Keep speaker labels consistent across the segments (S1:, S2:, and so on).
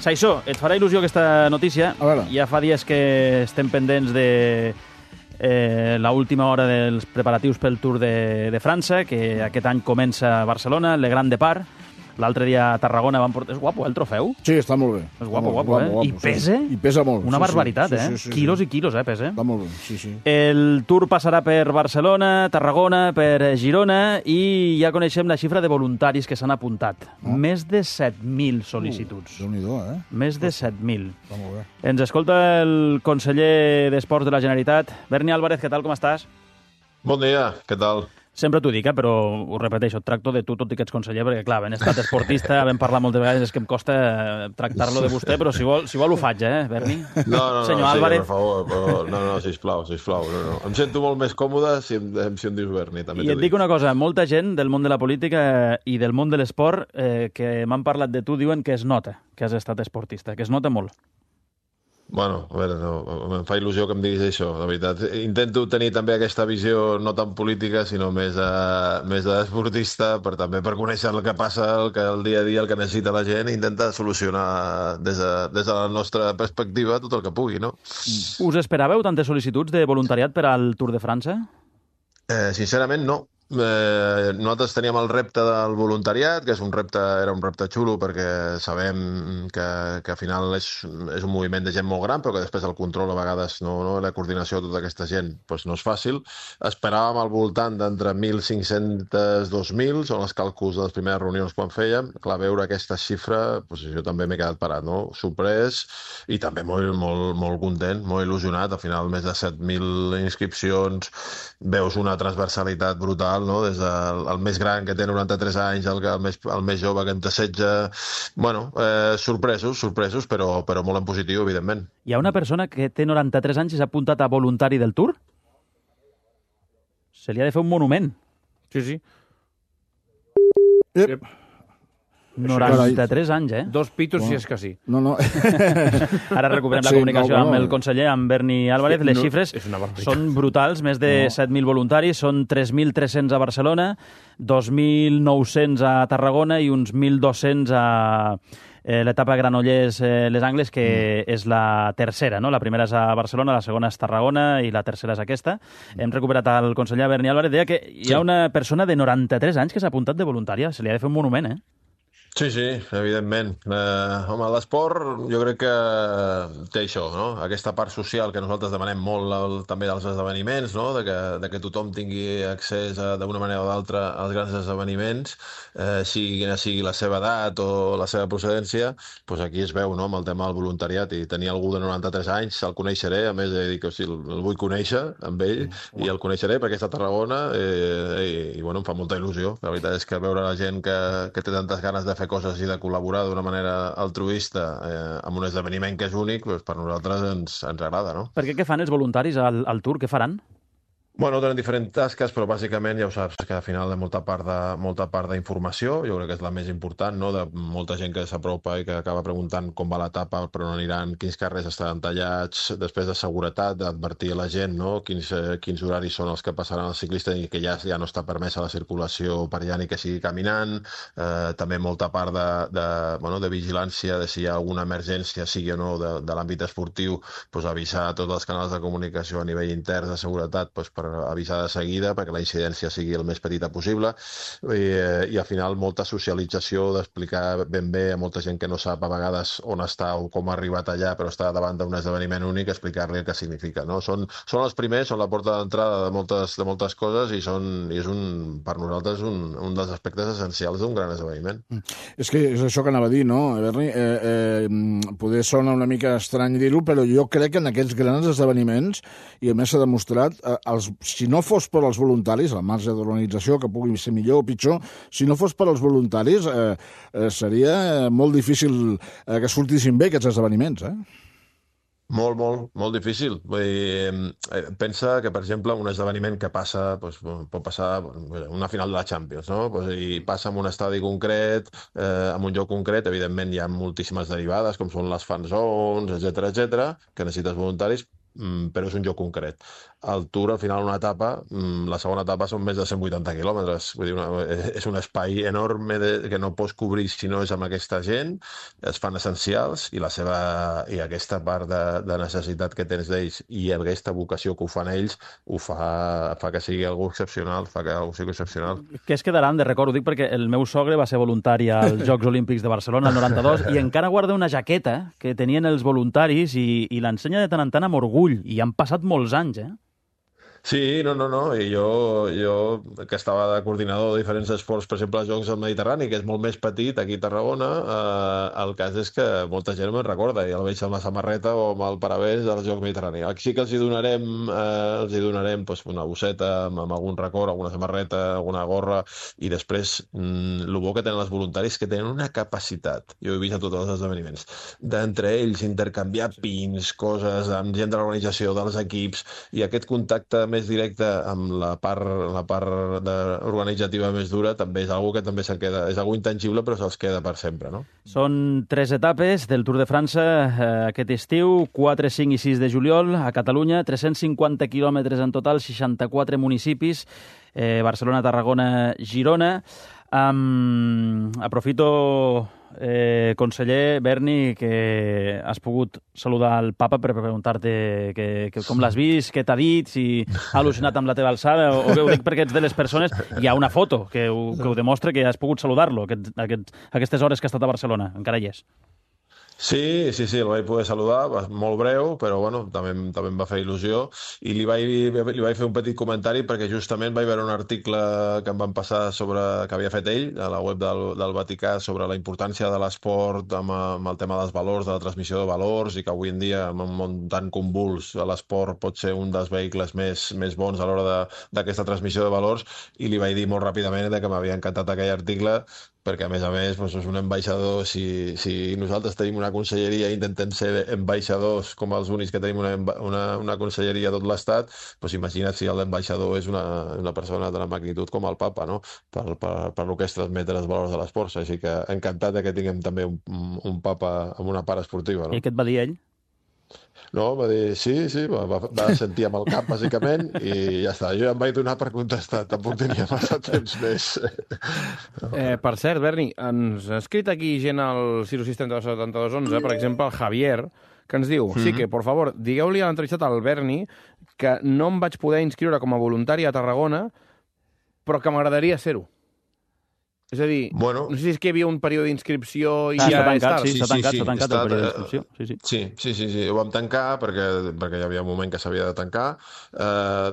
S1: Saissó, et farà il·lusió aquesta notícia. Ja fa dies que estem pendents de l'última hora dels preparatius pel Tour de França, que aquest any comença a Barcelona, Le Grand Depart. L'altre dia a Tarragona van portar... És guapo, el trofeu?
S2: Sí, està molt bé.
S1: És guapo, eh? I pesa?
S2: I pesa molt.
S1: Una barbaritat, eh? Quilos i quilos, pesa.
S2: Està molt bé, sí.
S1: El Tour passarà per Barcelona, Tarragona, per Girona, i ja coneixem la xifra de voluntaris que s'han apuntat. Més de 7.000 sol·licituds.
S2: Déu-n'hi-do, eh?
S1: Més de 7.000.
S2: Està molt bé.
S1: Ens escolta el conseller d'Esports de la Generalitat. Berni Álvarez, què tal, com estàs?
S3: Bon dia, què tal?
S1: Sempre t'ho dic, però ho repeteixo, et tracto de tu, tot i que ets conseller, perquè, clar, ben estat esportista, vam parlar moltes vegades, és que em costa tractar-lo de vostè, però si vol ho faig, Berni?
S3: No,
S1: Senyor Álvarez.
S3: per favor, però no, sisplau. No. Em sento molt més còmode si em dius Berni, també t'ho dic.
S1: I et dic una cosa, molta gent del món de la política i del món de l'esport que m'han parlat de tu diuen que es nota que has estat esportista, que es nota molt.
S3: Bueno, a veure, em fa il·lusió que em diguis això, la veritat. Intento tenir també aquesta visió no tan política, sinó més d'esportista, per conèixer el que passa, el dia a dia, el que necessita la gent, i intentar solucionar des de la nostra perspectiva tot el que pugui, no?
S1: Us esperàveu tantes sol·licituds de voluntariat per al Tour de França?
S3: Sincerament, no. Nosaltres teníem el repte del voluntariat, que era un repte xulo perquè sabem que al final és un moviment de gent molt gran, però que després el control a vegades la coordinació de tota aquesta gent no és fàcil. Esperàvem al voltant d'entre 1.500 i 2.000, són els càlculs de les primeres reunions quan fèiem. Clar, veure aquesta xifra, jo també m'he quedat parat, no? Sorprès i també molt content, molt il·lusionat. Al final, més de 7.000 inscripcions, veus una transversalitat brutal, no? Des del més gran, que té 93 anys, el més jove, que en té 16... Bueno, sorpresos, però molt en positiu, evidentment.
S1: Hi ha una persona que té 93 anys i s'ha apuntat a voluntari del Tour? Se li ha de fer un monument. Sí. 93 anys,
S4: 2 pitos, si és que sí.
S2: No.
S1: Ara recuperem la comunicació amb el conseller, amb Berni Álvarez. Les xifres són brutals, més de 7.000 voluntaris, són 3.300 a Barcelona, 2.900 a Tarragona i uns 1.200 a l'etapa Granollers-Les Angles, que és la tercera, no? La primera és a Barcelona, la segona és Tarragona i la tercera és aquesta. Hem recuperat el conseller Berni Álvarez. Deia que hi ha una persona de 93 anys que s'ha apuntat de voluntària. Se li ha de fer un monument,
S3: Sí, evidentment. Home, l'esport jo crec que té això, no? Aquesta part social que nosaltres demanem molt també dels esdeveniments, no? De que tothom tingui accés d'una manera o d'altra als grans esdeveniments, quina sigui la seva edat o la seva procedència, doncs aquí es veu, no? Amb el tema del voluntariat, i tenir algú de 93 anys, el coneixeré, a més de dir que el vull conèixer amb ell, i el coneixeré perquè està a Tarragona, i bueno, em fa molta il·lusió. La veritat és que veure la gent que té tantes ganes de fer coses i de col·laborar d'una manera altruista amb un esdeveniment que és únic, per nosaltres ens agrada, no?
S1: Per què fan els voluntaris al Tour? Què faran?
S3: Bueno, tenen diferents tasques, però bàsicament ja ho saps, que al final hi ha molta part d'informació, jo crec que és la més important, no? De molta gent que s'apropa i que acaba preguntant com va l'etapa, per on aniran, quins carrers estaran tallats, després de seguretat, d'advertir a la gent, no? Quins horaris són els que passaran els ciclistes i que ja no està permesa la circulació per allà ni que sigui caminant, també molta part de vigilància de si hi ha alguna emergència, sigui o no de l'àmbit esportiu, avisar a tots els canals de comunicació a nivell intern de seguretat, per avisar de seguida perquè la incidència sigui el més petita possible, i al final molta socialització, d'explicar ben bé a molta gent que no sap a vegades on està o com ha arribat allà, però està davant d'un esdeveniment únic, explicar-li el que significa, no? Són els primers, són la porta d'entrada de moltes coses, i és per nosaltres un dels aspectes essencials d'un gran esdeveniment.
S2: És que és això que anava a dir, no, Berni? Poder sona una mica estrany dir-ho, però jo crec que en aquests grans esdeveniments, i a més s'ha demostrat, si no fos per als voluntaris, al marge de l'organització, que pugui ser millor o pitjor, si no fos per als voluntaris, seria molt difícil que sortissin bé aquests esdeveniments,
S3: Molt difícil. Vull dir, pensa que, per exemple, un esdeveniment que passa, pot passar una final de la Champions, no? I passa en un estadi concret, en un lloc concret, evidentment hi ha moltíssimes derivades, com són les fan zones, etcètera, que necessites voluntaris, però és un lloc concret. El Tour, al final, una etapa, la segona etapa són més de 180 quilòmetres. Vull dir, és un espai enorme que no pots cobrir si no és amb aquesta gent, es fan essencials i aquesta part de necessitat que tens d'ells i aquesta vocació que ho fan ells ho fa que sigui algú excepcional,
S1: Què es quedaran de record? Ho dic perquè el meu sogre va ser voluntari als Jocs Olímpics de Barcelona el 92 i encara guarda una jaqueta que tenien els voluntaris i l'ensenya de tant en tant amb orgull. I han passat molts anys,
S3: Sí, no. I jo que estava de coordinador de diferents esports, per exemple, als Jocs del Mediterrani, que és molt més petit aquí a Tarragona, el cas és que molta gent me'n recorda i el veig amb la samarreta o amb el paravés dels Jocs Mediterrani. Aquí sí que els hi donarem doncs, una bosseta amb algun record, alguna samarreta, alguna gorra, i després el bo que tenen els voluntaris que tenen una capacitat, jo ho he vist a tots els esdeveniments, d'entre ells intercanviar pins, coses, amb gent de l'organització, dels equips, i aquest contacte més directe amb la part organitzativa més dura també és algo que també se'n queda, és algo intangible però se'ls queda per sempre, no?
S1: Són 3 etapes del Tour de França aquest estiu, 4, 5 i 6 de juliol a Catalunya, 350 quilòmetres en total, 64 municipis, Barcelona, Tarragona, Girona. Aprofito, conseller Berni, que has pogut saludar el papa per preguntar-te com l'has vist, què t'ha dit, si ha al·lucinat amb la teva alçada, o bé ho dic perquè ets de les persones. Hi ha una foto que ho demostra, que has pogut saludar-lo aquestes hores que ha estat a Barcelona. Encara hi és.
S3: Sí, el vaig poder saludar, molt breu, però bueno, també em va fer il·lusió, i li vaig fer un petit comentari perquè justament vaig veure un article que em van passar que havia fet ell a la web del Vaticà sobre la importància de l'esport amb el tema dels valors, de la transmissió de valors, i que avui en dia, en un món tan convuls, l'esport pot ser un dels vehicles més bons a l'hora d'aquesta transmissió de valors, i li vaig dir molt ràpidament que m'havia encantat aquell article, perquè a més doncs, és un ambaixador. Si nosaltres tenim una conselleria i intentem ser ambaixadors com els únics que tenim una conselleria a tot l'Estat, doncs imagina't si l'ambaixador és una persona de la magnitud com el papa, no? Per lo que és transmetre els valors de l'esport. Així que encantat que tinguem també un papa amb una part esportiva, no?
S1: I què et va dir ell?
S3: No, va dir sí, va sentir amb el cap, bàsicament, i ja està. Jo ja em vaig donar per contestar, tampoc tenia massa temps més.
S4: Per cert, Berni, ens ha escrit aquí gent al 6672211, per exemple, el Javier, que ens diu, sí que, por favor, digueu-li a l'entrevistat al Berni que no em vaig poder inscriure com a voluntari a Tarragona, però que m'agradaria ser-ho. És a dir, no sé si és que hi havia un període d'inscripció i ja és tard.
S1: S'ha tancat el període d'inscripció.
S3: Sí, ho vam tancar perquè hi havia un moment que s'havia de tancar.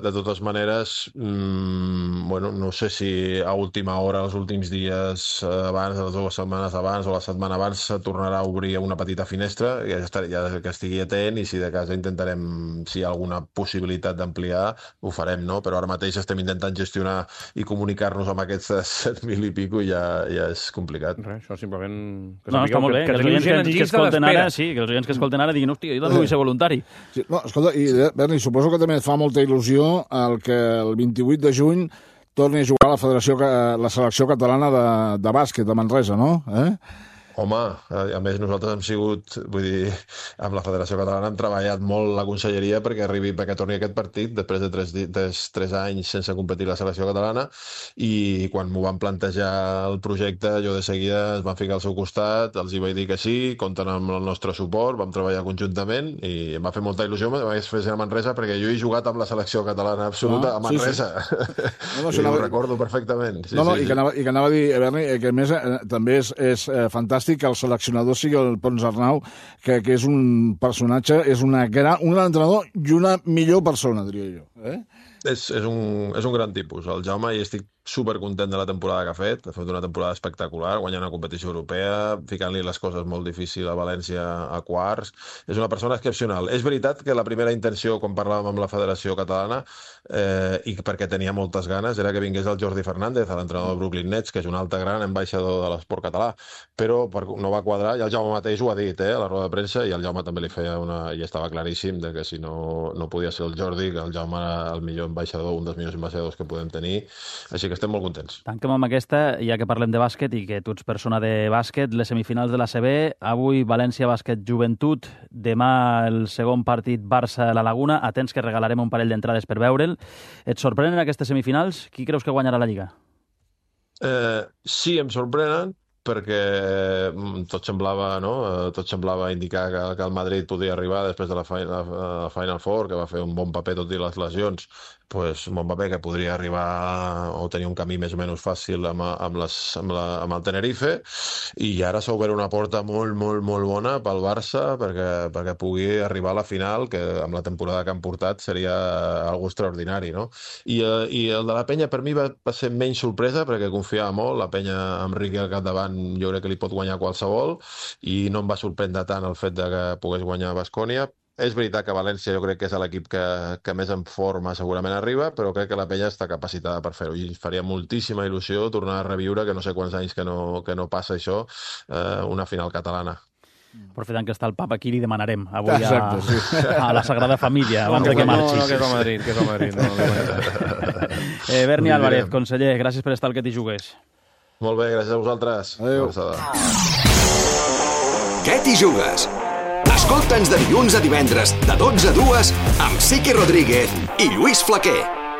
S3: De totes maneres, no sé si a última hora, els últims dies abans, les 2 setmanes abans o la setmana abans, se tornarà a obrir una petita finestra, ja que estigui atent, i si de cas intentarem, si hi ha alguna possibilitat d'ampliar, ho farem, no? Però ara mateix estem intentant gestionar i comunicar-nos amb aquests 7.000 i pico, ja és complicat.
S4: Res, això simplement...
S1: No, està molt bé. Que els oients que escolten ara, que els oients que escolten ara diguin, hòstia, jo també vull ser voluntari.
S2: Sí, no, escolta, i Berni, suposo que també et fa molta il·lusió el que el 28 de juny torni a jugar la selecció catalana de bàsquet a Manresa, no?
S3: Home, a més nosaltres hem sigut, vull dir, amb la Federació Catalana hem treballat molt la conselleria perquè torni aquest partit després de 3 anys sense competir la selecció catalana, i quan m'ho van plantejar el projecte jo de seguida es van ficar al seu costat, els hi vaig dir que sí, compten amb el nostre suport, vam treballar conjuntament i em va fer molta il·lusió, vaig fer a Manresa perquè jo he jugat amb la selecció catalana absoluta a Manresa. Sí. Ho recordo perfectament.
S2: I que anava a dir, Berni, que a més també és fantàstic que el seleccionador sigui el Pons Arnau, que és un personatge, és un gran entrenador i una millor persona, diria jo.
S3: És un gran tipus. El Jaume, i estic supercontent de la temporada que ha fet una temporada espectacular, guanyant una competició europea, ficant-li les coses molt difícils a València a quarts. És una persona excepcional. És veritat que la primera intenció, quan parlàvem amb la Federació Catalana, i perquè tenia moltes ganes, era que vingués el Jordi Fernández, l'entrenador de Brooklyn Nets, que és un altre gran ambaixador de l'esport català, però no va quadrar, i el Jaume mateix ho ha dit, a la roda de premsa, i el Jaume també li feia i estava claríssim de que si no podia ser el Jordi, que el Jaume el millor ambaixador, un dels millors ambaixadors que podem tenir, així que estem molt contents.
S1: Tanquem amb aquesta, ja que parlem de bàsquet i que tu ets persona de bàsquet, les semifinals de l'ACB, avui València Bàsquet Joventut, demà el segon partit Barça a la Laguna, atents que regalarem un parell d'entrades per veure'l. Et sorprenen aquestes semifinals? Qui creus que guanyarà la Lliga?
S3: Sí, em sorprenen, perquè tot semblava indicar que el Madrid podia arribar després de la Final Four, que va fer un bon paper tot i les lesions, un bon paper que podria arribar o tenir un camí més o menys fàcil amb el Tenerife, i ara s'ha obert una porta molt, molt, molt bona pel Barça perquè pugui arribar a la final, que amb la temporada que han portat seria algo extraordinari, no? I el de la Penya per mi va ser menys sorpresa, perquè confiava molt, la Penya amb Riqui al capdavant jo crec que li pot guanyar qualsevol, i no em va sorprendre tant el fet de que pogués guanyar Baskonia. És veritat que València jo crec que és l'equip que més en forma segurament arriba, però crec que la Penya està capacitada per fer-ho, i faria moltíssima il·lusió tornar a reviure, que no sé quants anys que no passa això, una final catalana.
S1: Aprofitant que està el papa aquí, li demanarem avui a la Sagrada Família, abans que marxi.
S4: No, que és el Madrid.
S1: Berni Álvarez, conseller, gràcies per estar al Que t'hi jugues.
S3: Molt bé, gràcies a vosaltres.
S2: Adéu.
S5: Què t'hi jugues? Escolta'ns de dilluns a divendres, de 12 a 2, amb Siqui Rodríguez i Lluís Flaquer.